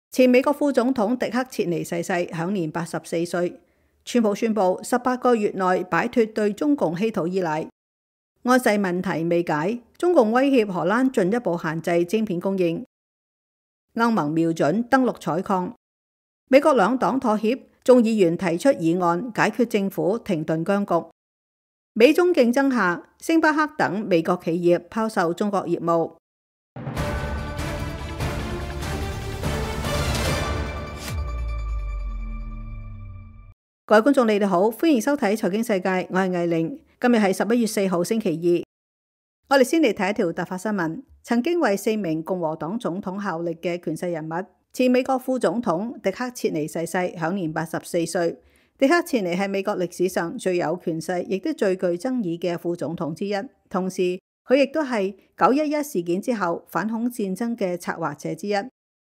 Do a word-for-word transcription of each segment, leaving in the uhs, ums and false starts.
前美國副總統迪克切尼逝世，享年八十四歲。川普宣布十八個月內擺脫對中共稀土依賴。安世問題未解，中共威脅荷蘭進一步限制晶片供應。歐盟瞄準登陸採礦。美國兩黨妥協，眾議員提出議案解決政府停頓僵局。美中競爭下，星巴克等美國企業拋售中國業務。各位觀眾，你哋好，歡迎收睇財經世界，我係藝玲。今日係十一月四號星期二，我哋先嚟睇一條突發新聞。曾經為四名共和黨總統效力嘅權勢人物，前美國副總統迪克切尼逝世，享年八十四歲。迪克切尼係美國歷史上最有權勢，亦都最具爭議嘅副總統之一。同時，佢亦都係九一一事件之後反恐戰爭嘅策劃者之一。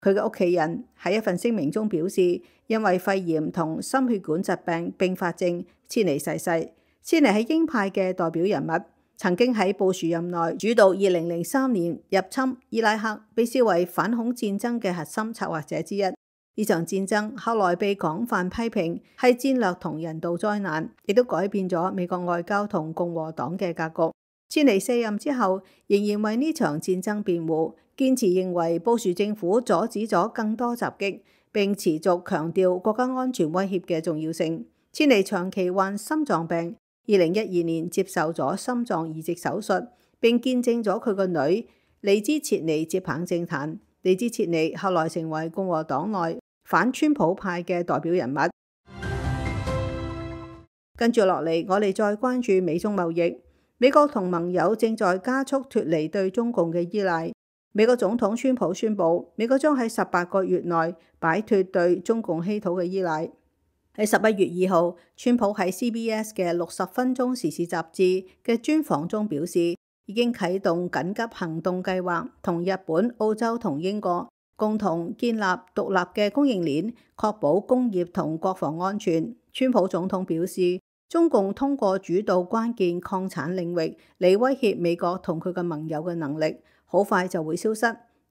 佢嘅屋企人喺一份聲明中表示，因為肺炎同心血管疾病併發症，切尼逝世。切尼係鷹派嘅代表人物，曾經喺布殊任內主導二零零三年入侵伊拉克，被視為反恐戰爭嘅核心策劃者之一。呢場戰爭後來被廣泛批評係戰略同人道災難，亦都改變咗美國外交同共和黨嘅格局。切尼卸任之後，仍然為呢場戰爭辯護，堅持認為布殊政府阻止咗更多襲擊，並持續強調國家安全威脅嘅重要性。切尼長期患心臟病，二零一二年接受咗心臟移植手術，並見證咗佢個女莉茲切尼接棒政壇。莉茲切尼後來成為共和黨內反川普派嘅代表人物。跟住落嚟，我哋再關注美中貿易。美國同盟友正在加速脫離對中共嘅依賴。美國總統川普宣布，美國將喺十八個月內擺脫對中共稀土嘅依賴。喺十一月二號，川普喺 C B S 嘅六十分鐘時事雜誌嘅專訪中表示，已經啟動緊急行動計劃，同日本、澳洲同英國共同建立獨立嘅供應鏈，確保工業同國防安全。川普總統表示，中共通過主導關鍵礦產領域嚟威脅美國同佢嘅盟友嘅能力，好快就會消失。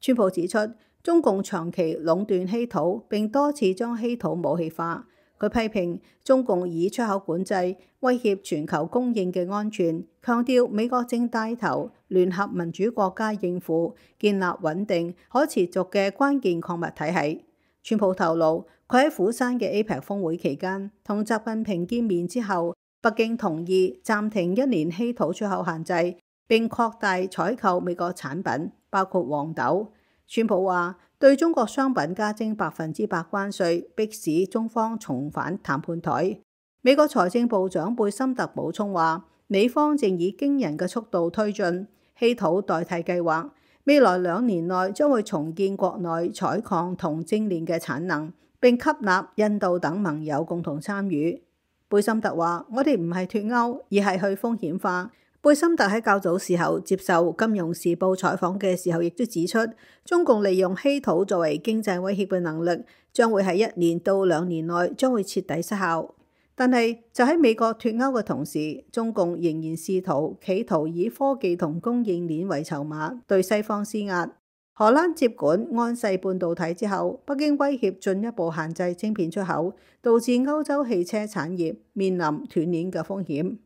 川普指出，中共長期壟斷稀土，並多次將稀土武器化。佢批評中共以出口管制威脅全球供應嘅安全，強調美國正帶頭聯合民主國家應付建立穩定可持續嘅關鍵礦物體系。川普透露，佢喺釜山嘅 A P E C 峰會期間同習近平見面之後，北京同意暫停一年稀土出口限制，並擴大採購美國產品，包括黃豆。川普話對中國商品加徵百分之百關稅，迫使中方重返談判台。美國財政部長貝森特補充話，美方正以驚人嘅速度推進稀土代替計劃，未來兩年內將會重建國內採礦同精煉嘅產能，並吸納印度等盟友共同參與。貝森特話：我哋唔係脫歐，而係去風險化。貝森特喺較早時候接受《金融時報》採訪嘅時候，亦都指出，中共利用稀土作為經濟威脅嘅能力，將會喺一年到兩年內將會徹底失效。但係就喺美國脫歐嘅同時，中共仍然試圖企圖以科技同供應鏈為籌碼，對西方施壓。荷蘭接管安世半導體之後，北京威脅進一步限制晶片出口，導致歐洲汽車產業面臨斷鏈嘅風險。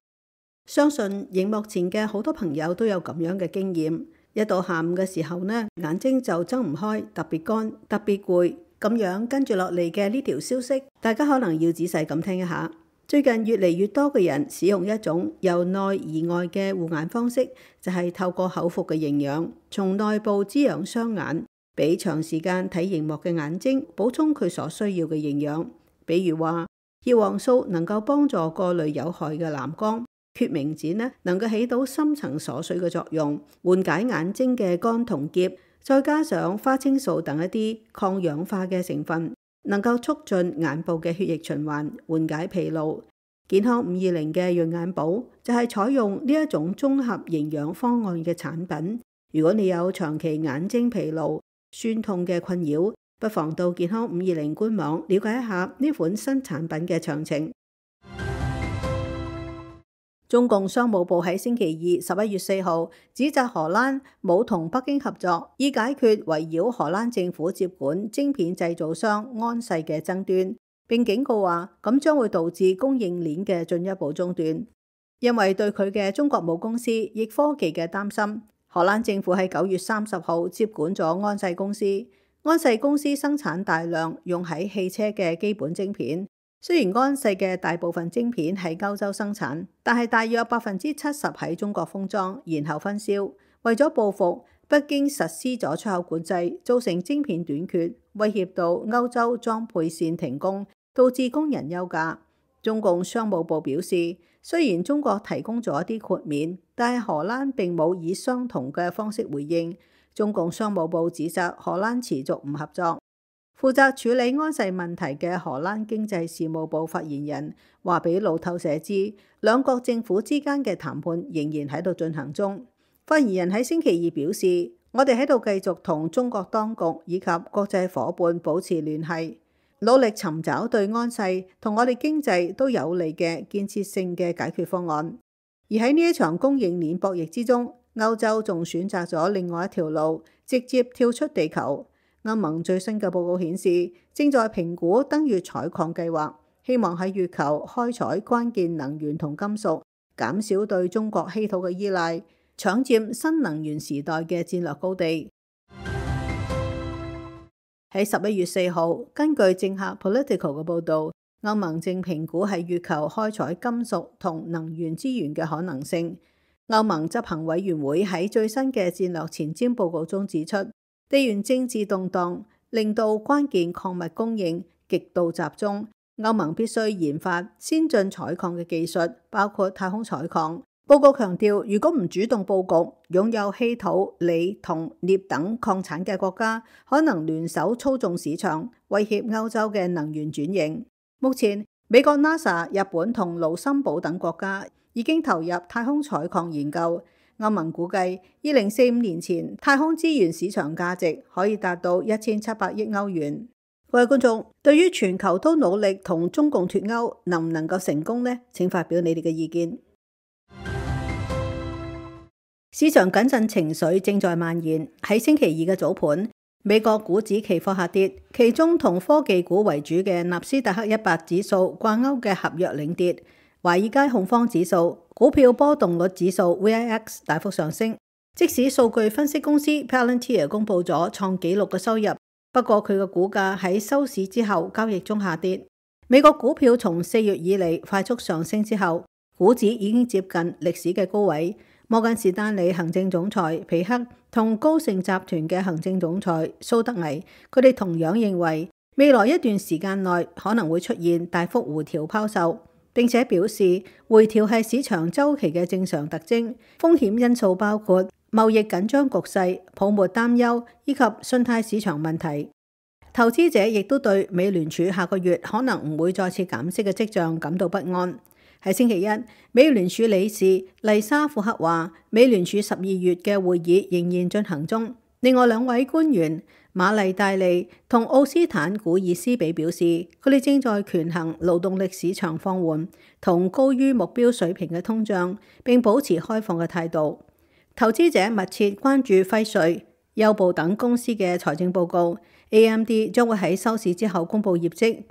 相信熒幕前嘅好多朋友都有咁樣嘅經驗，一到下午嘅時候呢，眼睛就睜唔開，特別乾，特別攰。咁樣跟住落嚟嘅呢條消息，大家可能要仔細咁聽一下。最近越嚟越多嘅人使用一種由內而外嘅護眼方式，就係透過口服嘅營養，從內部滋養雙眼，俾長時間睇熒幕嘅眼睛補充佢所需要嘅營養。比如話，葉黃素能夠幫助過濾有害嘅藍光。決明子呢，能夠起到深層鎖水嘅作用，緩解眼睛嘅乾同澀，再加上花青素等一啲抗氧化嘅成分，能夠促進眼部嘅血液循環，緩解疲勞。健康五二零嘅潤眼寶就係採用呢一種綜合營養方案嘅產品。如果你有長期眼睛疲勞、酸痛嘅困擾，不妨到健康五二零官網了解一下呢款新產品嘅詳情。中共商務部喺星期二十一月四號指責荷蘭冇同北京合作，以解決圍繞荷蘭政府接管晶片製造商安世嘅爭端，並警告話咁將會導致供應鏈嘅進一步中斷。因為對佢嘅中國母公司易科技嘅擔心，荷蘭政府喺九月三十號接管咗安世公司。安世公司生產大量用喺汽車嘅基本晶片。雖然安世嘅大部分晶片喺歐洲生產，但係大約百分之七十喺中國封裝，然後分銷。為咗報復，北京實施咗出口管制，造成晶片短缺，威脅到歐洲裝配線停工，導致工人休假。中共商務部表示，雖然中國提供咗一啲豁免，但係荷蘭並冇以相同嘅方式回應。中共商務部指責荷蘭持續唔合作。負責處理安世問題嘅荷蘭經濟事務部發言人話俾路透社知，兩國政府之間嘅談判仍然喺度進行中。發言人喺星期二表示，我哋喺度繼續同中國當局以及國際夥伴保持聯繫，努力尋找對安世同我哋經濟都有利嘅建設性嘅解決方案。而喺呢一場供應鏈博弈之中，歐洲仲選擇咗另外一條路，直接跳出地球。歐盟最新嘅報告顯示，正在評估登月採礦計劃，希望喺月球開採關鍵能源同金屬，減少對中國稀土嘅依賴，搶佔新能源時代嘅戰略高地。喺十一月四號，根據政客 Political 嘅報導，歐盟正評估喺月球開採金屬同能源資源嘅可能性。歐盟執行委員會喺最新嘅戰略前瞻報告中指出，地緣政治動盪令到關鍵礦物供應極度集中，歐盟必須研發先進採礦嘅技術，包括太空採礦。報告強調，如果唔主動佈局，擁有稀土、鋰同鎳等礦產嘅國家，可能聯手操縱市場，威脅歐洲嘅能源轉型。目前，美國 NASA、日本同盧森堡等國家已經投入太空採礦研究。歐盟估計，二零四五年前太空資源市場價值可以達到一千七百億歐元。各位觀眾，對於全球都努力同中共脫鈎，能唔能夠成功呢？請發表你哋嘅意見。市場謹慎情緒正在蔓延。喺星期二嘅早盤，美國股指期貨下跌，其中同科技股為主嘅納斯達克一百指數掛鈎嘅合約領跌。華爾街恐慌指數、股票波動率指數 V I X 大幅上升，即使數據分析公司 Palantir 公佈咗創紀錄嘅收入，不過佢嘅股價喺收市之後交易中下跌。美國股票從四月以嚟快速上升之後，股指已經接近歷史嘅高位。摩根士丹利行政總裁皮克同高盛集團嘅行政總裁蘇德危，佢哋同樣認為未來一段時間內可能會出現大幅回調拋售。並且表示，回調係市場週期嘅正常特徵，風險因素包括貿易緊張局勢、泡沫擔憂以及信貸市場問題。投資者亦都對美聯儲下個月可能唔會再次減息嘅跡象感到不安。喺星期一，美聯儲理事麗莎庫克話，美聯儲十二月嘅會議仍然進行中。另外兩位官員瑪麗戴利同奧斯坦古爾斯比表示，佢哋正在權衡勞動力市場放緩同高於目標水平嘅通脹，並保持開放嘅態度。投資者密切關注輝瑞、優步等公司嘅財政報告。A M D 將會喺收市之後公布業績。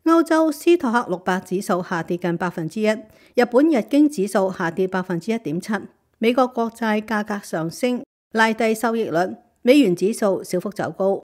歐洲斯托克六百指數下跌近百分之一，日本日經指數下跌百分之一點七。美國國債價格上升，拉低收益率。美元指數小幅走高。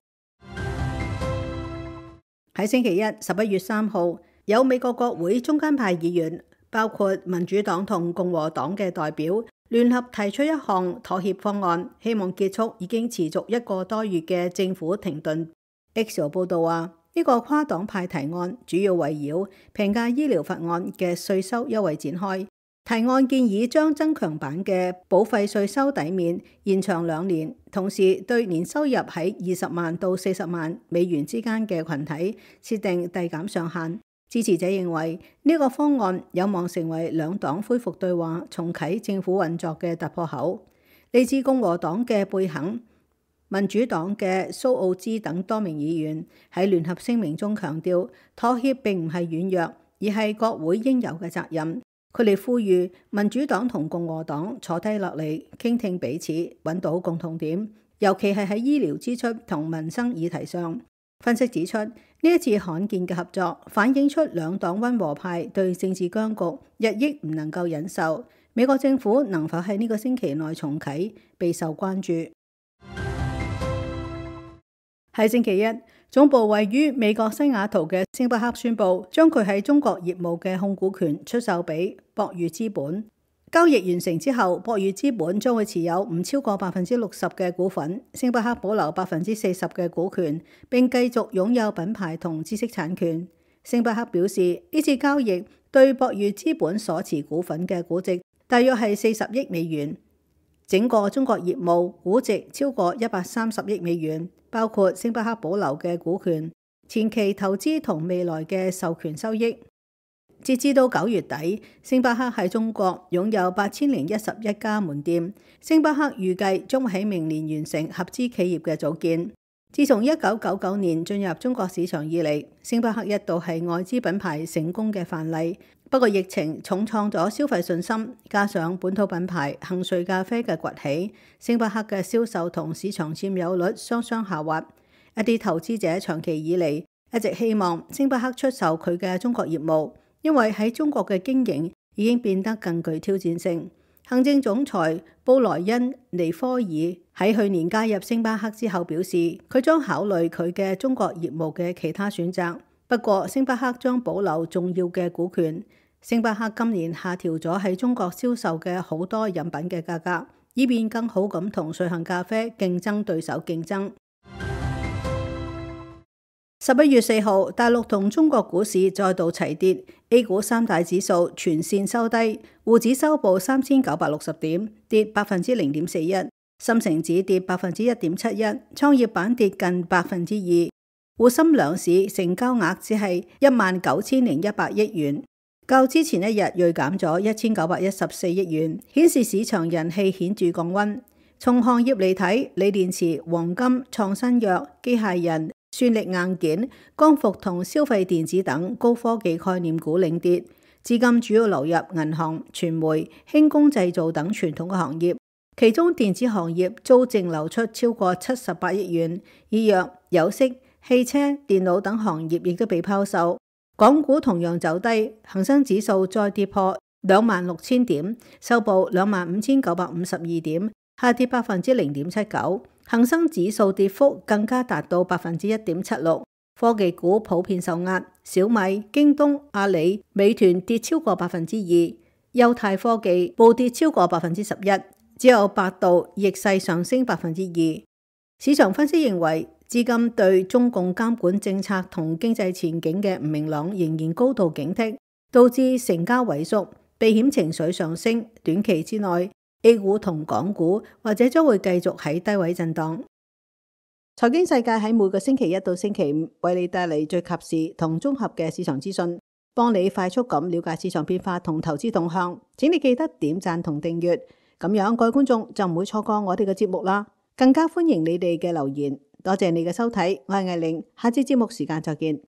喺星期一，十一月三號，有美國國會中間派議員，包括民主黨同共和黨嘅代表，聯合提出一項妥協方案，希望結束已經持續一個多月嘅政府停頓。X 報道話，呢個跨黨派提案主要圍繞平價醫療法案嘅稅收優惠展開。提案建議將增強版嘅保費稅收抵免延長兩年，同時對年收入喺二十萬到四十萬美元之間嘅群體設定遞減上限。支持者認為呢個方案有望成為兩黨恢復對話、重啟政府運作嘅突破口。嚟自共和黨嘅貝肯、民主黨嘅蘇奧茲等多名議員喺聯合聲明中強調，妥協並唔係軟弱，而係國會應有嘅責任。佢哋呼籲民主黨同共和黨坐低落嚟傾聽彼此，揾到共同點，尤其係喺醫療支出同民生議題上。分析指出，呢一次罕見嘅合作反映出兩黨溫和派對政治僵局日益唔能夠忍受。美國政府能否喺呢個星期內重啟，備受關注。喺星期一，總部位於美國西雅圖嘅星巴克宣布，將佢喺中國業務嘅控股權出售俾博裕資本。交易完成之後，博裕資本將會持有唔超過百分之六十嘅股份，星巴克保留百分之四十嘅股權，並繼續擁有品牌同知識產權。星巴克表示，呢次交易對博裕資本所持股份嘅估值大約係四十億美元，整個中國業務估值超過一百三十億美元，包括星巴克保留嘅股權、前期投資同未來嘅授權收益。截至到九月底，星巴克喺中國擁有八千零一十一家門店。星巴克預計將會喺明年完成合資企業嘅組建。自從一九九九年進入中國市場以嚟，星巴克一度係外資品牌成功嘅範例。不過疫情重創咗消費信心，加上本土品牌幸瑞咖啡嘅崛起，星巴克嘅銷售同市場佔有率雙雙下滑。一啲投資者長期以嚟一直希望星巴克出售佢嘅中國業務，因為喺中國嘅經營已經變得更具挑戰性。行政總裁布萊恩尼科爾喺去年加入星巴克之後表示，佢將考慮佢嘅中國業務嘅其他選擇。不過，星巴克將保留重要嘅股權。星巴克今年下調咗喺中國銷售嘅好多飲品嘅價格，以便更好咁同瑞幸咖啡競爭對手競爭。十一月四號，大陸同中國股市再度齊跌 ，A 股三大指數全線收低，滬指收報三千九百六十點，跌百分之零點四一；深成指跌百分之一點七一，創業板跌近百分之二。滬深兩市成交額只係一萬九千零一百億元，較之前一日銳減咗一千九百一十四億元，顯示市場人氣顯著降溫。從行業嚟睇，鋰電池、黃金、創新藥、機械人、算力硬件、光伏同消費電子等高科技概念股領跌，資金主要流入銀行、傳媒、輕工製造等傳統嘅行業，其中電子行業遭淨流出超過七十八億元，醫藥、有色、汽車、電腦等行業亦都被拋售。港股同樣走低，恒生指數再跌破兩萬六千點，收報兩萬五千九百五十二點，下跌百分之零點七九。恒生指數跌幅更加達到百分之一點七六，科技股普遍受壓，小米、京東、阿里、美團跌超過百分之二，優泰科技暴跌超過百分之十一，只有百度逆勢上升百分之二。市場分析認為，資金對中共監管政策同經濟前景嘅唔明朗仍然高度警惕，導致成交萎縮，避險情緒上升，短期之內A 股同港股或者將會繼續喺低位震盪。財經世界喺每個星期一到星期五為你帶嚟最及時同綜合嘅市場資訊，幫你快速咁了解市場變化同投資動向。請你記得點讚同訂閱，咁樣各位觀眾就唔會錯過我哋嘅節目啦。更加歡迎你哋嘅留言。多謝你嘅收睇，我係艾玲，下次節目時間再見。